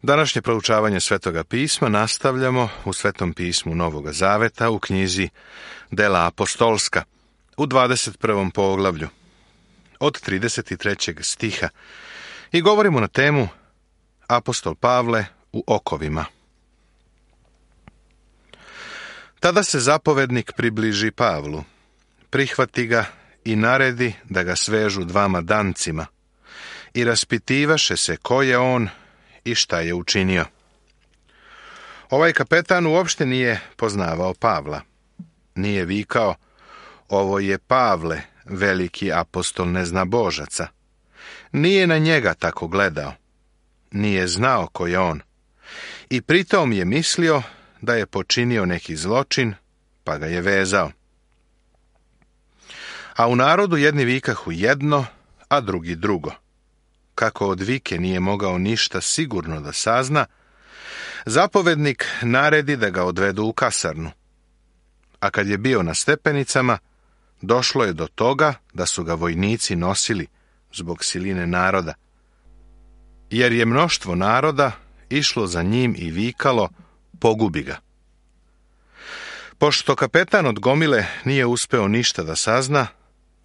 Današnje proučavanje Svetoga pisma nastavljamo u Svetom pismu Novoga Zaveta u knjizi Dela apostolska u 21. poglavlju od 33. stiha i govorimo na temu Apostol Pavle u okovima. Tada se zapovednik približi Pavlu, prihvati ga i naredi da ga svežu dvama dancima i raspitivaše se ko je on i šta je učinio. Ovaj kapetan uopšte nije poznavao Pavla. Nije vikao, ovo je Pavle, veliki apostol neznabožaca. Nije na njega tako gledao. Nije znao ko je on. I pritom je mislio da je počinio neki zločin, pa ga je vezao. A u narodu jedni vikahu jedno, a drugi drugo. Kako od vike nije mogao ništa sigurno da sazna, zapovednik naredi da ga odvedu u kasarnu. A kad je bio na stepenicama, došlo je do toga da su ga vojnici nosili zbog siline naroda, jer je mnoštvo naroda išlo za njim i vikalo, pogubi ga. Pošto kapetan od gomile nije uspeo ništa da sazna,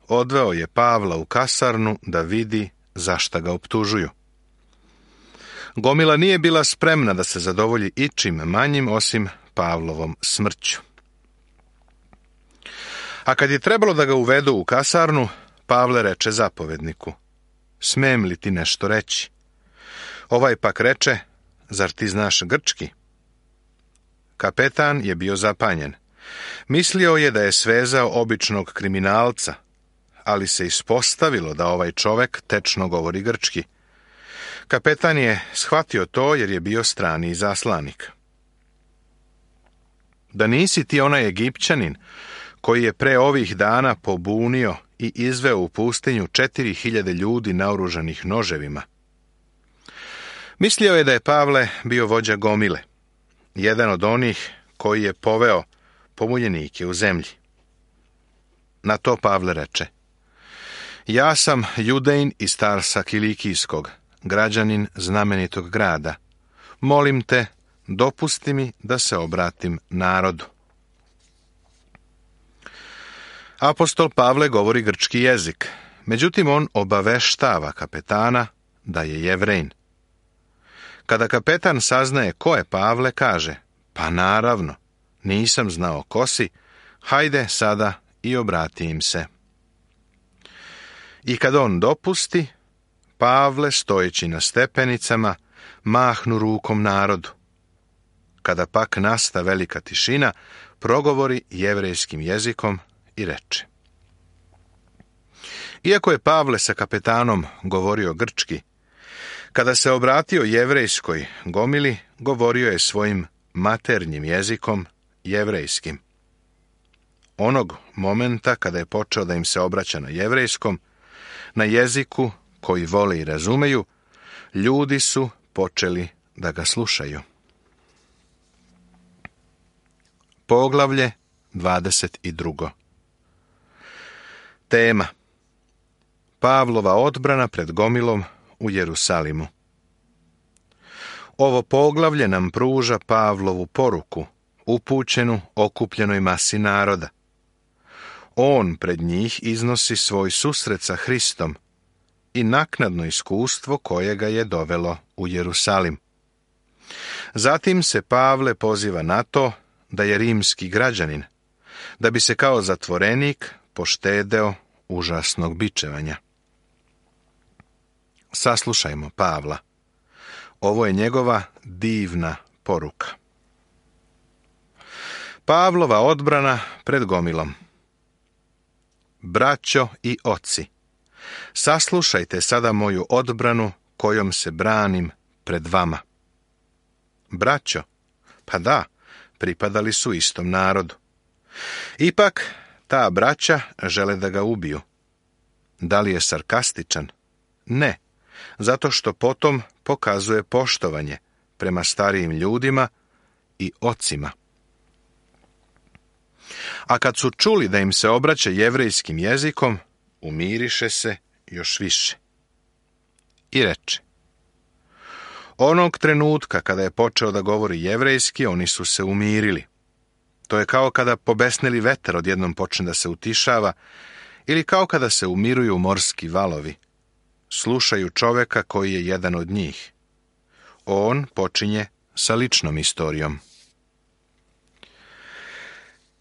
odveo je Pavla u kasarnu da vidi zašta ga optužuju. Gomila nije bila spremna da se zadovolji ičim manjim osim Pavlovom smrću. A kad je trebalo da ga uvedu u kasarnu, Pavle reče zapovedniku, smem li ti nešto reći? Ovaj pak reče, zar ti znaš grčki? Kapetan je bio zapanjen. Mislio je da je svezao običnog kriminalca, ali se ispostavilo da ovaj čovek tečno govori grčki. Kapetan je shvatio to jer je bio strani izaslanik. Da nisi ti onaj Egipćanin koji je pre ovih dana pobunio i izveo u pustinju 4000 ljudi naoružanih noževima? Mislio je da je Pavle bio vođa gomile, jedan od onih koji je poveo pomuljenike u zemlji. Na to Pavle reče, ja sam Judejn iz Tarsa Kilikijskog, građanin znamenitog grada. Molim te, dopusti mi da se obratim narodu. Apostol Pavle govori grčki jezik, međutim on obaveštava kapetana da je Jevrejin. Kada kapetan saznaje ko je Pavle, kaže, pa naravno, nisam znao ko si, hajde sada i obrati im se. I kad on dopusti, Pavle, stojeći na stepenicama, mahnu rukom narodu. Kada pak nasta velika tišina, progovori jevrejskim jezikom i reče. Iako je Pavle sa kapetanom govorio grčki, kada se obratio jevrejskoj gomili, govorio je svojim maternjim jezikom, jevrejskim. Onog momenta kada je počeo da im se obraća na jevrejskom, na jeziku koji vole i razumeju, ljudi su počeli da ga slušaju. Poglavlje 22. Tema: Pavlova odbrana pred gomilom u Jerusalimu. Ovo poglavlje nam pruža Pavlovu poruku, upućenu okupljenoj masi naroda. On pred njih iznosi svoj susret sa Hristom i naknadno iskustvo koje ga je dovelo u Jerusalim. Zatim se Pavle poziva na to da je rimski građanin, da bi se kao zatvorenik poštedeo užasnog bičevanja. Saslušajmo Pavla. Ovo je njegova divna poruka. Pavlova odbrana pred gomilom. Braćo i oci, saslušajte sada moju odbranu kojom se branim pred vama. Braćo, pa da, pripadali su istom narodu. Ipak, ta braća žele da ga ubiju. Da li je sarkastičan? Ne, zato što potom pokazuje poštovanje prema starijim ljudima i ocima. A kad su čuli da im se obraća jevrejskim jezikom, umiriše se još više. I reče, Onog trenutka kada je počeo da govori jevrejski, oni su se umirili. To je kao kada pobesneli vetar odjednom počne da se utišava, ili kao kada se umiruju morski valovi. Slušaju čoveka koji je jedan od njih. On počinje sa ličnom istorijom.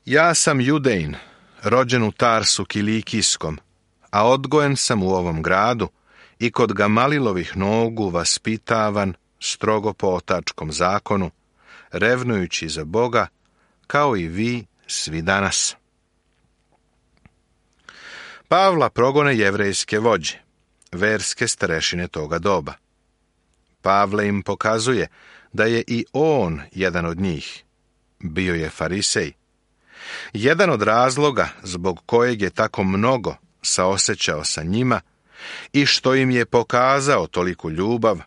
Ja sam Judejn, rođen u Tarsu Kilikijskom, a odgojen sam u ovom gradu i kod Gamalilovih nogu vaspitavan strogo po otačkom zakonu, revnujući za Boga, kao i vi svi danas. Pavla progone jevrejske vođe, verske starešine toga doba. Pavle im pokazuje da je i on jedan od njih. Bio je farisej. Jedan od razloga zbog kojeg je tako mnogo saosećao sa njima i što im je pokazao toliku ljubav,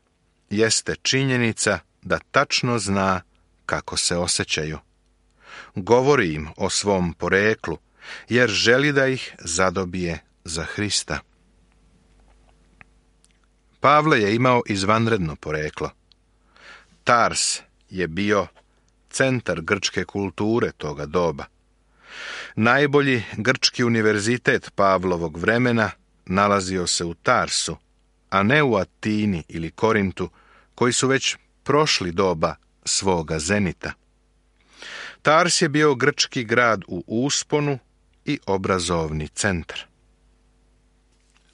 jeste činjenica da tačno zna kako se osjećaju. Govori im o svom poreklu, jer želi da ih zadobije za Hrista. Pavle je imao izvanredno poreklo. Tars je bio centar grčke kulture toga doba. Najbolji grčki univerzitet Pavlovog vremena nalazio se u Tarsu, a ne u Atini ili Korintu, koji su već prošli doba svoga zenita. Tars je bio grčki grad u usponu i obrazovni centar.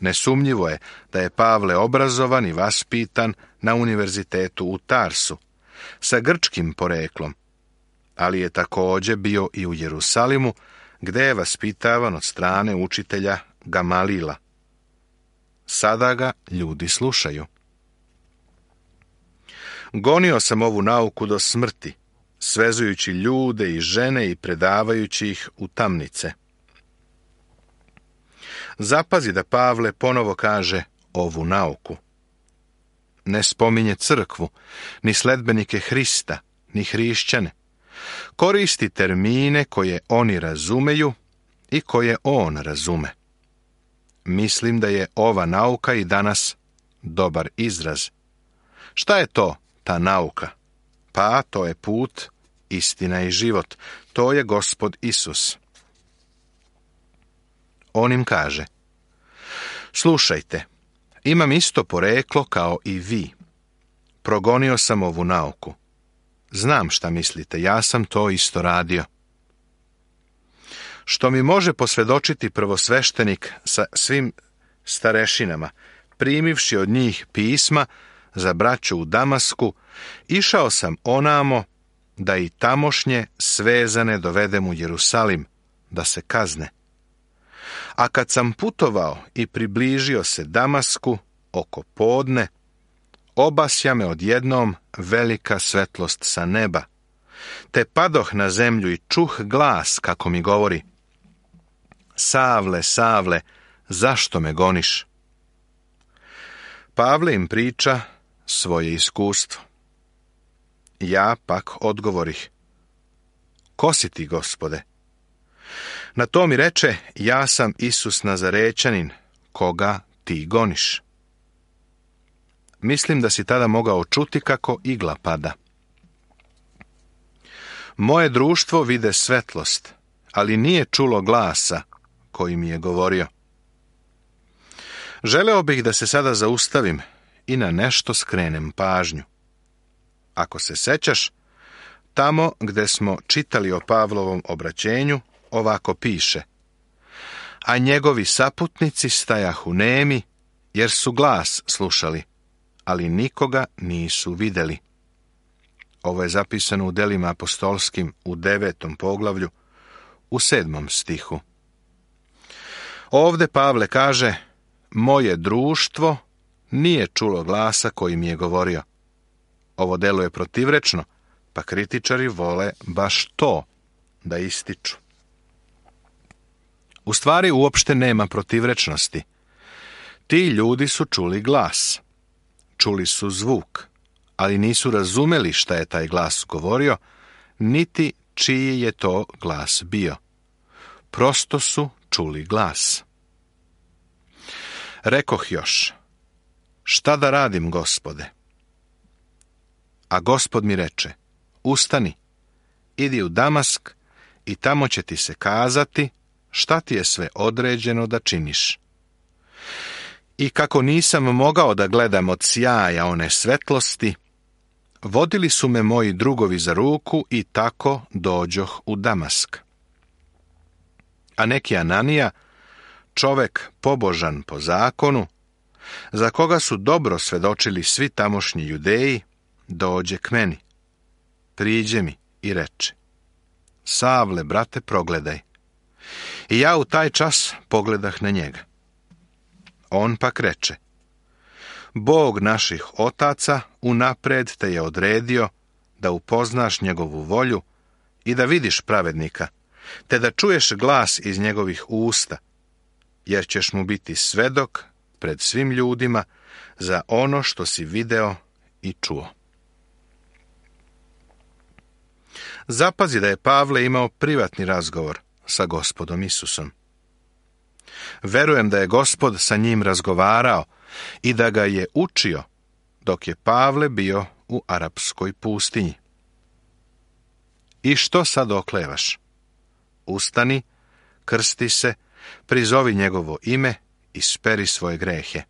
Nesumnjivo je da je Pavle obrazovan i vaspitan na univerzitetu u Tarsu, sa grčkim poreklom, ali je također bio i u Jerusalimu, gde je vaspitavan od strane učitelja Gamalila. Sada ga ljudi slušaju. Gonio sam ovu nauku do smrti, svezujući ljude i žene i predavajući ih u tamnice. Zapazi da Pavle ponovo kaže ovu nauku. Ne spominje crkvu, ni sledbenike Hrista, ni hrišćane. Koristi termine koje oni razumeju i koje on razume. Mislim da je ova nauka i danas dobar izraz. Šta je to, ta nauka? Pa to je put, istina i život. To je Gospod Isus. On im kaže: slušajte, imam isto poreklo kao i vi. Progonio sam ovu nauku. Znam šta mislite, ja sam to isto radio. Što mi može posvjedočiti prvosveštenik sa svim starešinama, primivši od njih pisma za braću u Damasku, išao sam onamo da i tamošnje svezane dovedem u Jerusalim, da se kazne. A kad sam putovao i približio se Damasku oko podne, obasja me odjednom velika svetlost sa neba, te padoh na zemlju i čuh glas kako mi govori: Savle, Savle, zašto me goniš? Pavle im priča svoje iskustvo. Ja pak odgovorih: ko si ti, Gospode? Na to mi reče: ja sam Isus Nazarećanin, koga ti goniš. Mislim da si tada mogao čuti kako igla pada. Moje društvo vide svetlost, ali nije čulo glasa koji mi je govorio. Želeo bih da se sada zaustavim i na nešto skrenem pažnju. Ako se sećaš, tamo gde smo čitali o Pavlovom obraćenju, ovako piše: a njegovi saputnici stajahu nemi, jer su glas slušali, ali nikoga nisu videli. Ovo je zapisano u Delima apostolskim u 9. poglavlju, u 7. stihu. Ovde Pavle kaže: moje društvo nije čulo glasa koji mi je govorio. Ovo deluje protivrečno, pa kritičari vole baš to da ističu. U stvari uopšte nema protivrečnosti. Ti ljudi su čuli glas. Čuli su zvuk, ali nisu razumeli šta je taj glas govorio, niti čiji je to glas bio. Prosto su čuli glas. Rekoh još: šta da radim, Gospode? A Gospod mi reče, ustani, idi u Damask i tamo će ti se kazati šta ti je sve određeno da činiš. I kako nisam mogao da gledam od sjaja one svetlosti, vodili su me moji drugovi za ruku i tako dođoh u Damask. A neki Ananija, čovek pobožan po zakonu, za koga su dobro svedočili svi tamošnji Judeji, dođe k meni, priđe mi i reče, Savle, brate, progledaj. I ja u taj čas pogledah na njega. On pak reče, Bog naših otaca unapred te je odredio da upoznaš njegovu volju i da vidiš pravednika, te da čuješ glas iz njegovih usta, jer ćeš mu biti svedok pred svim ljudima za ono što si video i čuo. Zapazi da je Pavle imao privatni razgovor sa Gospodom Isusom. Verujem da je Gospod sa njim razgovarao i da ga je učio dok je Pavle bio u arapskoj pustinji. I što sad oklevaš? Ustani, krsti se, prizovi njegovo ime i speri svoje grehe.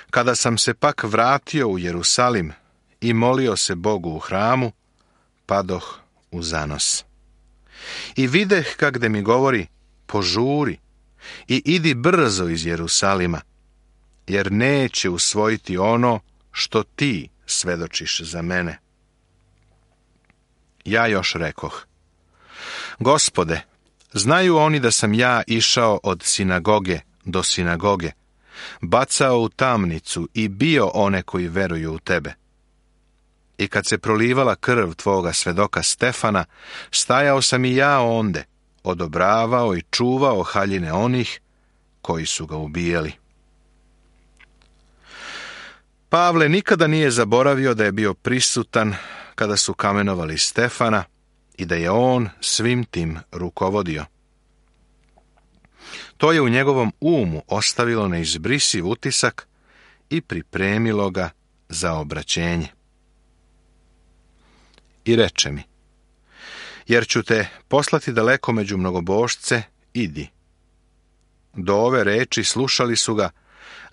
Kada sam se pak vratio u Jerusalim i molio se Bogu u hramu, padoh u zanos. I videh kagde mi govori, požuri i idi brzo iz Jerusalima, jer neće usvojiti ono što ti svedočiš za mene. Ja još rekoh, Gospode, znaju oni da sam ja išao od sinagoge do sinagoge, bacao u tamnicu i bio one koji veruju u tebe. I kad se prolivala krv tvoga svedoka Stefana, stajao sam i ja onde, odobravao i čuvao haljine onih koji su ga ubijali. Pavle nikada nije zaboravio da je bio prisutan kada su kamenovali Stefana i da je on svim tim rukovodio. To je u njegovom umu ostavilo neizbrisiv utisak i pripremilo ga za obraćenje. I reče mi, jer ću te poslati daleko među mnogobožce, idi. Do ove reči slušali su ga,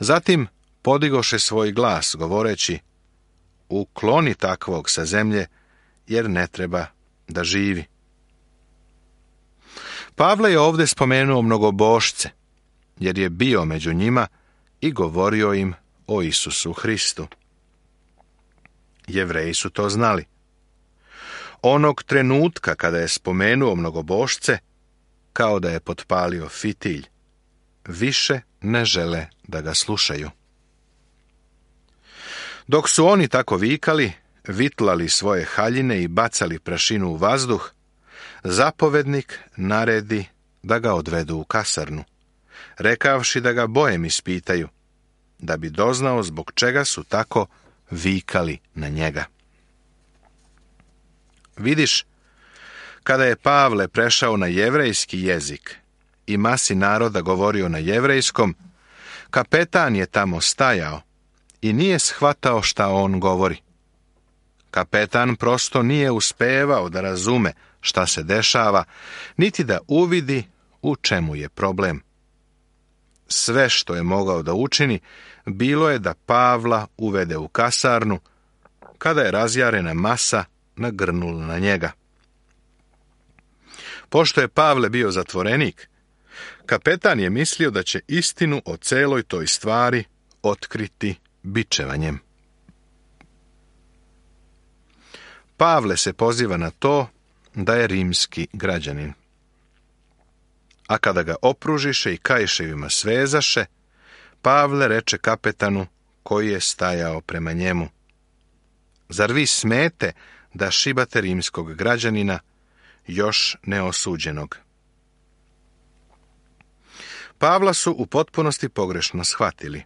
zatim podigoše svoj glas, govoreći, ukloni takvog sa zemlje, jer ne treba da živi. Pavle je ovdje spomenuo mnogobožce, jer je bio među njima i govorio im o Isusu Hristu. Jevreji su to znali. Onog trenutka kada je spomenuo mnogobožce, kao da je potpalio fitilj, više ne žele da ga slušaju. Dok su oni tako vikali, vitlali svoje haljine i bacali prašinu u vazduh, zapovednik naredi da ga odvedu u kasarnu, rekavši da ga bojem ispitaju, da bi doznao zbog čega su tako vikali na njega. Vidiš, kada je Pavle prešao na jevrejski jezik i masi naroda govorio na jevrejskom, kapetan je tamo stajao i nije shvatao šta on govori. Kapetan prosto nije uspevao da razume šta se dešava, niti da uvidi u čemu je problem. Sve što je mogao da učini, bilo je da Pavla uvede u kasarnu, kada je razjarena masa nagrnula na njega. Pošto je Pavle bio zatvorenik, kapetan je mislio da će istinu o celoj toj stvari otkriti bičevanjem. Pavle se poziva na to da je rimski građanin. A kada ga opružiše i kaiševima svezaše, Pavle reče kapetanu koji je stajao prema njemu, zar vi smete da šibate rimskog građanina, još neosuđenog? Pavla su u potpunosti pogrešno shvatili.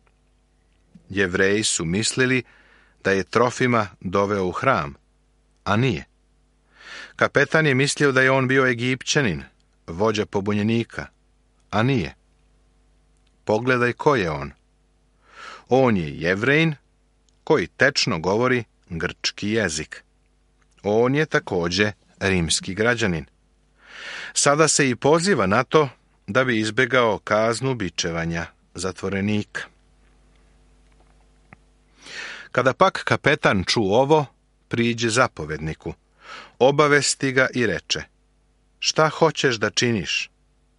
Jevreji su mislili da je Trofima doveo u hram, a nije. Kapetan je mislio da je on bio Egipćanin, vođa pobunjenika, a nije. Pogledaj ko je on. On je Jevrejin koji tečno govori grčki jezik. On je također rimski građanin. Sada se i poziva na to da bi izbjegao kaznu bičevanja zatvorenika. Kada pak kapetan ču ovo, priđe zapovedniku, obavesti ga i reče: šta hoćeš da činiš?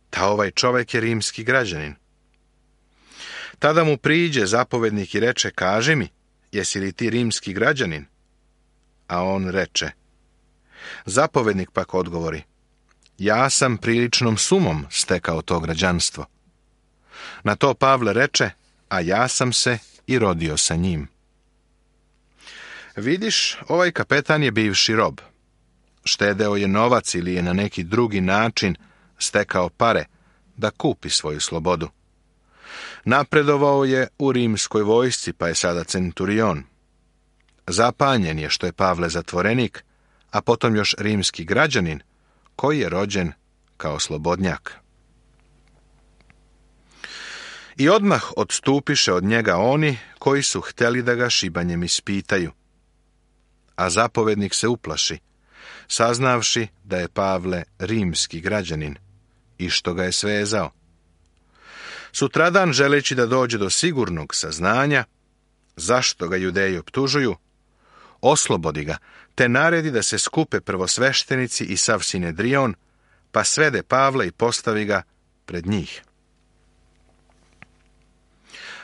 Ta ovaj čovjek je rimski građanin. Tada mu priđe zapovednik i reče: kaži mi, jesi li ti rimski građanin? A on reče. Zapovednik pak odgovori: ja sam priličnom sumom stekao to građanstvo. Na to Pavle reče: a ja sam se i rodio sa njim. Vidiš, ovaj kapetan je bivši rob. Štedeo je novac ili je na neki drugi način stekao pare da kupi svoju slobodu. Napredovao je u rimskoj vojsci, pa je sada centurion. Zapanjen je što je Pavle zatvorenik, a potom još rimski građanin, koji je rođen kao slobodnjak. I odmah odstupiše od njega oni koji su htjeli da ga šibanjem ispitaju. A zapovednik se uplaši, saznavši da je Pavle rimski građanin i što ga je svezao. Sutradan, želeći da dođe do sigurnog saznanja zašto ga Judeji optužuju, oslobodi ga, te naredi da se skupe prvosveštenici i sav Sinedrion, pa svede Pavla i postavi ga pred njih.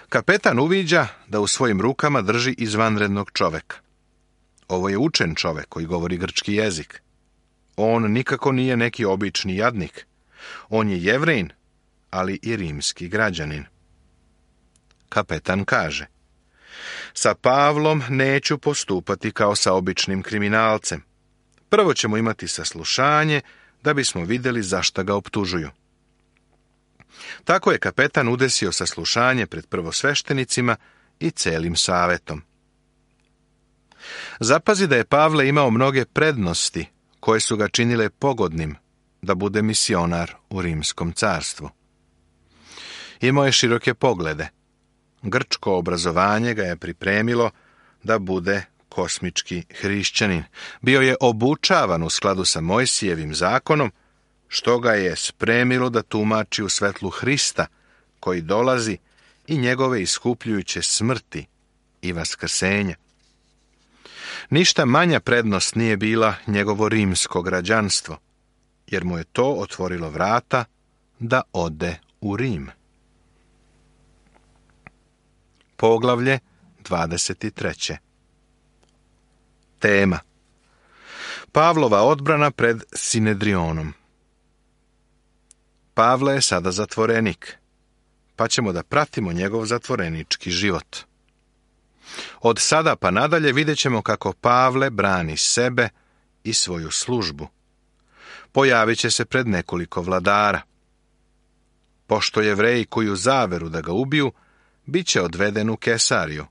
Kapetan uviđa da u svojim rukama drži izvanrednog čoveka. Ovo je učen čovek koji govori grčki jezik. On nikako nije neki obični jadnik. On je Jevrejin, ali i rimski građanin. Kapetan kaže: sa Pavlom neću postupati kao sa običnim kriminalcem. Prvo ćemo imati saslušanje da bismo vidjeli zašto ga optužuju. Tako je kapetan udesio saslušanje pred prvosveštenicima i celim savetom. Zapazi da je Pavle imao mnoge prednosti koje su ga činile pogodnim da bude misionar u rimskom carstvu. Imao je široke poglede. Grčko obrazovanje ga je pripremilo da bude kosmički hrišćanin. Bio je obučavan u skladu sa Mojsijevim zakonom, što ga je spremilo da tumači u svetlu Hrista, koji dolazi, i njegove iskupljujuće smrti i vaskrsenja. Ništa manja prednost nije bila njegovo rimsko građanstvo, jer mu je to otvorilo vrata da ode u Rim. Poglavlje 23. Tema: Pavlova odbrana pred Sinedrionom. Pavle je sada zatvorenik, pa ćemo da pratimo njegov zatvorenički život. Od sada pa nadalje vidjet ćemo kako Pavle brani sebe i svoju službu. Pojavit će se pred nekoliko vladara. Pošto Jevreji koju zaveru da ga ubiju, bit će odveden u Kesariju.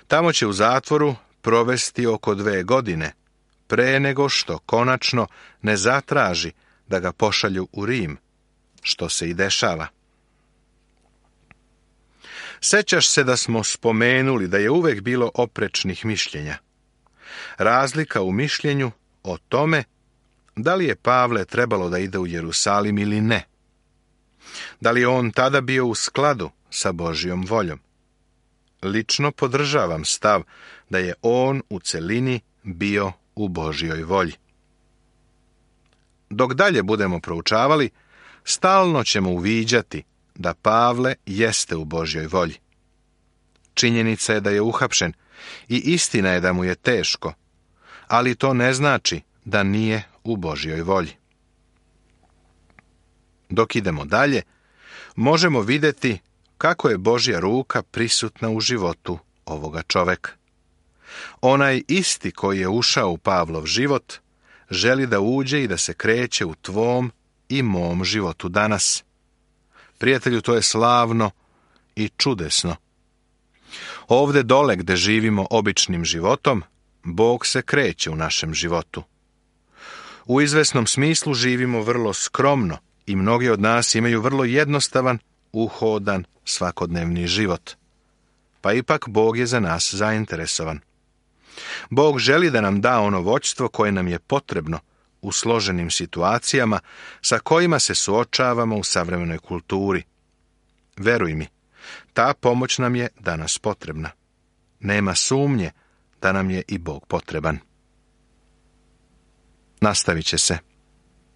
Tamo će u zatvoru provesti oko 2 godine, pre nego što konačno ne zatraži da ga pošalju u Rim, što se i dešava. Sećaš se da smo spomenuli da je uvek bilo oprečnih mišljenja. Razlika u mišljenju o tome da li je Pavle trebalo da ide u Jerusalim ili ne. Da li je on tada bio u skladu sa Božjom voljom? Lično podržavam stav da je on u celini bio u Božjoj volji. Dok dalje budemo proučavali, stalno ćemo uviđati da Pavle jeste u Božjoj volji. Činjenica je da je uhapšen i istina je da mu je teško, ali to ne znači da nije u Božjoj volji. Dok idemo dalje, možemo vidjeti kako je Božja ruka prisutna u životu ovoga čoveka. Onaj isti koji je ušao u Pavlov život želi da uđe i da se kreće u tvom i mom životu danas. Prijatelju, to je slavno i čudesno. Ovde dole gde živimo običnim životom, Bog se kreće u našem životu. U izvesnom smislu živimo vrlo skromno i mnogi od nas imaju vrlo jednostavan, uhodan, svakodnevni život. Pa ipak Bog je za nas zainteresovan. Bog želi da nam da ono vođstvo koje nam je potrebno u složenim situacijama sa kojima se suočavamo u savremenoj kulturi. Veruj mi, ta pomoć nam je danas potrebna. Nema sumnje da nam je i Bog potreban. Nastavit će se.